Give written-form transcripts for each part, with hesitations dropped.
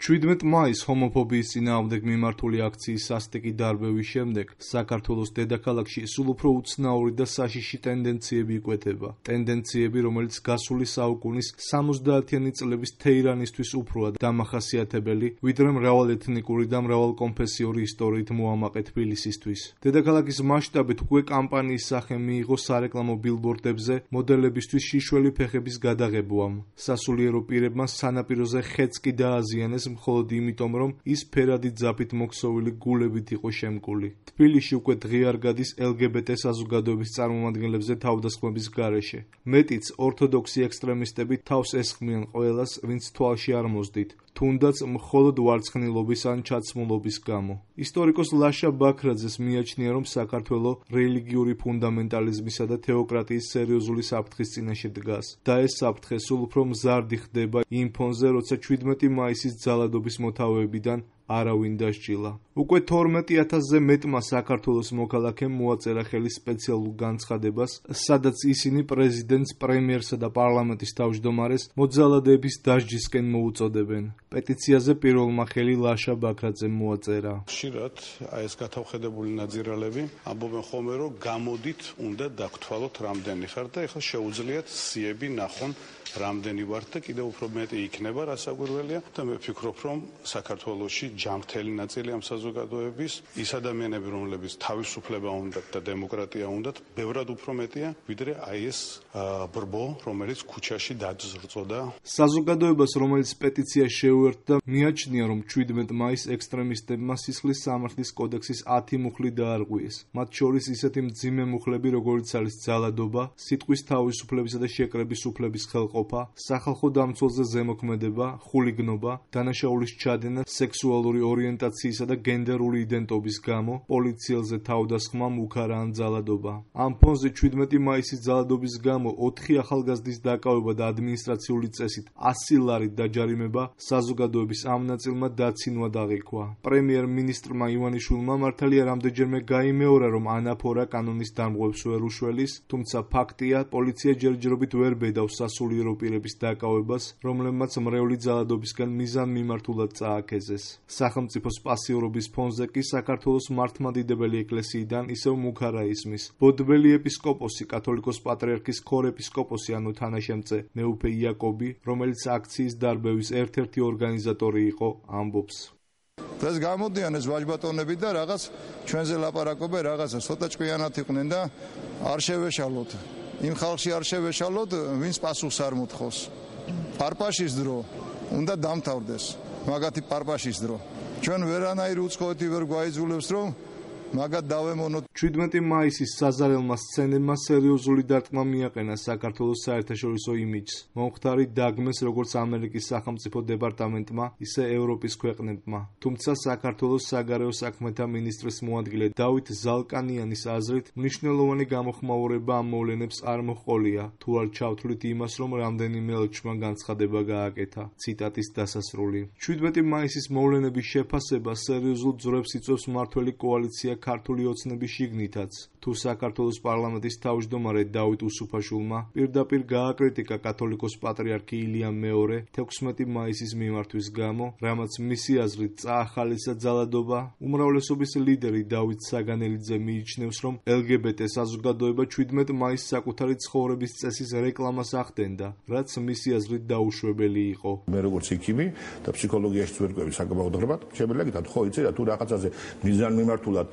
17 მაისს ჰომოფობიის წინააღმდეგ მიმართული აქციის სასტიკი დარბევის შემდეგ საქართველოს დედაქალაქში სულ უფრო უცნაური და საშიში ტენდენციები იკვეთება. ტენდენციები, რომელიც გასული საუკუნის 70-იანი წლების თეირანისთვის უფროა დამახასიათებელი, ვიდრე მრავალეთნიკური და მრავალკონფესიური ისტორიით მოამაყე თბილისისთვის. დედაქალაქის მასშტაბით უკვე კამპანიის სახე მიიღო სარეკლამო ბილბორდებზე მოდელებისთვის შიშველი ფეხების გადაღებუამ. სასულიერო პირებმა სანაპიროზე ხეც კი დააზიანეს მხოლოდ იმიტომ, რომ ის ფერადი ძაფით მოქსოვილი გულებით იყო შემკული. თბილისში უკვე დღეარ გადის LGBT საზოგადოების წარმომადგენლებზე თავდასხმების გარეშე. მეტიც, ორთოდოქსი ექსტრემისტები თავს ესხმიან ყველას, ვინც თვალში არ მოსდით, თუნდაც მხოლოდ ვარცხნილობის ან ჩაცმულობის გამო. ისტორიკოს ლაშა ბაქრაძეს მიაჩნია, რომ საქართველო რელიგიური ფუნდამენტალიზმისა და თეოკრატიის სერიოზული საფრთხის წინაშე დგას. და ეს საფრთხე სულ უფრო მზარდი ხდება იმ ფონზე, როცა 17 მაისის ძალადობის მოთავეებიდან არავინ დასჯილა. უკვე 12,000-ზე მეტმა საქართველოს მოქალაქემ მოაწერა ხელი სპეციალურ განცხადებას, სადაც ისინი პრეზიდენტს, პრემიერსა და პარლამენტის თავმჯდომარეს მოძალადეების დასჯისკენ მოუწოდებენ. პეტიციაზე პირველმა ხელი ლაშა ბაქრაძემ მოაწერა. ხშირად ეს გათავხედებული ნაძირალები ამბობენ ხოლმე, რომ გამოდით უნდა დაგთვალოთ რამდენი ხარ და ეხლა შეუძლიათ სიები ნახონ რამდენი ვართ და კიდევ უფრო მეტი იქნება რასაკვირველია და მე ვფიქრობ, რომ საქართველოში ჯანმრთელი ნაწილი ამ საზოგადოების ის ადამიანები, რომლებიც თავისუფლება უნდათ და დემოკრატია უნდათ, ბევრად უფრო მეტია, ვიდრე აი ეს ბრბო, რომელიც ქუჩაში დაძრწოდა. საზოგადოებას, რომელიც პეტიცია შეუერთდა, მიაჩნია, რომ 17 მაისს ექსტრემისტებმა სისხლის სამართლის კოდექსის 10 მუხლი დაარღვიეს. მათ შორის ისეთი მძიმე მუხლები, როგორიც არის ძალადობა, სიტყვის თავისუფლებისა და შეკრების უფლების ხელყოფა, სახალხო დამცველზე ზემოქმედება, ხულიგნობა, დანაშაულის ჩადენა სექსუალური ორიენტაციისა და გენდერული იდენტობის გამო, პოლიციელზე თავდასხმა, მუქარა ან ძალადობა. ამ ფონზე 17 მაისის ძალადობის გამო 4 ახალგაზრდის დაკავება და ადმინისტრაციული წესით 100 ლარით დაჯარიმება საზოგადოების ამ ნაწილმა დაცინვა დაღიქვა. პრემიერ-მინისტრმა ივანიშვილმა მართალია რამდენჯერმე გაიმეორა, რომ ანაფორა კანონის დამღებს ვერ უშველის, თუმცა ფაქტია, პოლიცია ჯერჯერობით ვერ ბედავს სასულიერო პირების დაკავებას, რომლებმაც მრევლი ძალადობისგან მიზანმიმართულად წააქეზეს. სახელმწიფოს პასიურობის ფონზე კი საქართველოს მართლმადიდებელი ეკლესიიდან ისევ მუქარა ისმის. ბოდბელი ეპისკოპოსი, კათოლიკოს პატრიარქის ქორეპისკოპოსი ანუ თანაშემწე მეუფე იაკობი, რომელიც აქციის დარბევის ერთ-ერთი ორგანიზატორი იყო, ამბობს. დღეს გამოდიან ეს ვაჟბატონები და რაღაც ჩვენზე ლაპარაკობენ, რაღაცა ცოტა ჭკვიანად იყვნენ და არ შევეშალოთ. იმ ხალხში არ შევეშალოთ, ვინც პასუხს არ მოთხოვს. პარპაშის დრო უნდა დამთავრდეს. მაგათი პარპაშის დრო. ჩვენ ვერანაირი უცხოეთი ვერ გვაიძულებს, რომ მაგათ დავემონოთ. 17 მაისის საზარელმა სცენებმა სერიოზული დარტყმა მიაყენა საქართველოს საერთაშორისო იმიჯს. მომხდარი დაგმეს როგორც ამერიკის სახელმწიფო დეპარტამენტმა, ისე ევროპის ქვეყნებმა. თუმცა საქართველოს საგარეო საქმეთა მინისტრის მოადგილე დავით ზალკანიანის აზრით, მნიშვნელოვანი გამოხმაურება ამ მოვლენებს არ მოჰყოლია, თუ არ ჩავთვლით იმას, რომ რამდენიმე ელჩმა განცხადება გააკეთა. ციტატის დასასრული. 17 მაისის მოვლენების შეფასება სერიოზულ ძვრებს იწვევს მმართველი კოალიცია ქართული ოცნების შიგნითაც. თუ საქართველოს პარლამენტის თავმჯდომარე დავით უსუფაშვილმა პირდაპირ გააკრიტიკა კათოლიკოს პატრიარქი ილია მეორე 16 მაისის მიმართვის გამო, რამაც მისი აზრით წაახალისა ძალადობა, უმრავლესობის ლიდერი დავით საგანელიძე მიიჩნევს, რომ LGBT საზოგადოება 17 მაისს საკუთარი ცხოვრების წესის რეკლამას ახდენდა, რაც მისი აზრით დაუშვებელი იყო. მე როგორც იქიმი და ფსიქოლოგიაშიც ვერ ყვევი საკმაოდ, შემიძლია გითხრათ, ხო იცი რა, თუ რაღაცაზე მიზანმიმართულად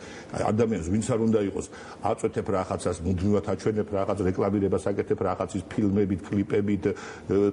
ადამიანს ვინც არ უნდა იყოს აწვეთებ რაღაცას, მუდმივად აჩვენებ რაღაც რეკლამირებას აკეთებ რაღაცის ფილმებით, კლიპებით,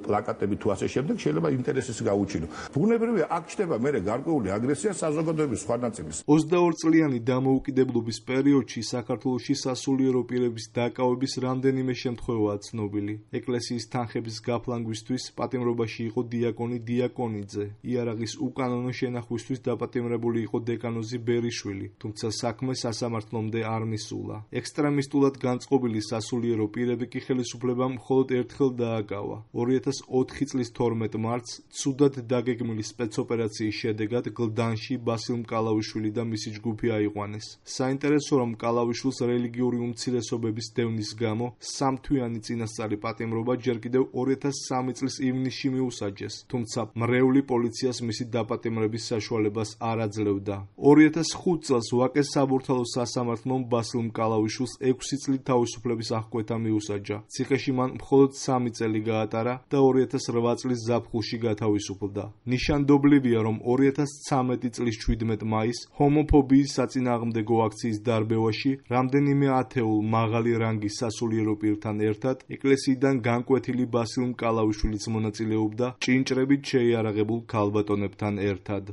პლაკატებით თუ ასე შემდეგ, შეიძლება ინტერესის გაუჩინო. ბუნებრივია, აქ ჩნდება მერე გარკვეული აგრესია საზოგადოების სხვა ნაწილის. 22 წლიანი დამოუკიდებლობის პერიოდში საქართველოში სასულიერო პირების დაკავების რამდენიმე შემთხვევაა ცნობილი. ეკლესიის თანხების გაფლანგვისთვის პატიმრობაში იყო დიაკონი დიაკონიძე. იარაღის უკანონო შენახვისთვის დაპატიმრებული იყო დეკანოზი ბერიშვილი, თუმცა საქმე სასამართლომდე არ მისულა. ექსტრემისტულად განწყობილი სასულიერო პირები კი ხელისუფლებამ მხოლოდ ერთხელ დააკავა. 2004 წლის 12 მარტს ცუდად დაგეგმილი სპეცოპერაციის შედეგად გლდანში ბასილ მკალავიშვილი და მისი ჯგუფი აიყვანეს. საინტერესო რომ მკალავიშვილს რელიგიური უმცირესობების დევნის გამო 3 თვიანი წინასწარი პატიმრობა ჯერ კიდევ 2003 წლის ივნისში მიუსაჯეს, თუმცა მრევლი პოლიციას მისი დაპატიმრების საშუალებას არ აძლევდა. 2005 წელს ვაკეს საბურთალო სასამართლომ ბასილ მკალავიშვილს 6 წლით თავისუფლების აღკვეთა მიუსაჯა. ციხეში მან მხოლოდ 3 წელი გაატარა და 2008 წლის ზაფხულში გათავისუფლდა. ნიშანდობლივია, რომ 2013 წლის 17 მაისს ჰომოფობიის საწინააღმდეგო აქციის დარბევაში რამდენიმე ათეულ მაღალი რანგის სასულიერო პირთან ერთად ეკლესიიდან განკვეთილი ბასილ მკალავიშვილიც მონაწილეობდა ჭინჭრებით შეიარაღებულ ქალბატონებთან ერთად.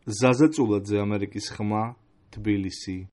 ზაზა წულაძე, ამერიკის ხმა, თბილისი.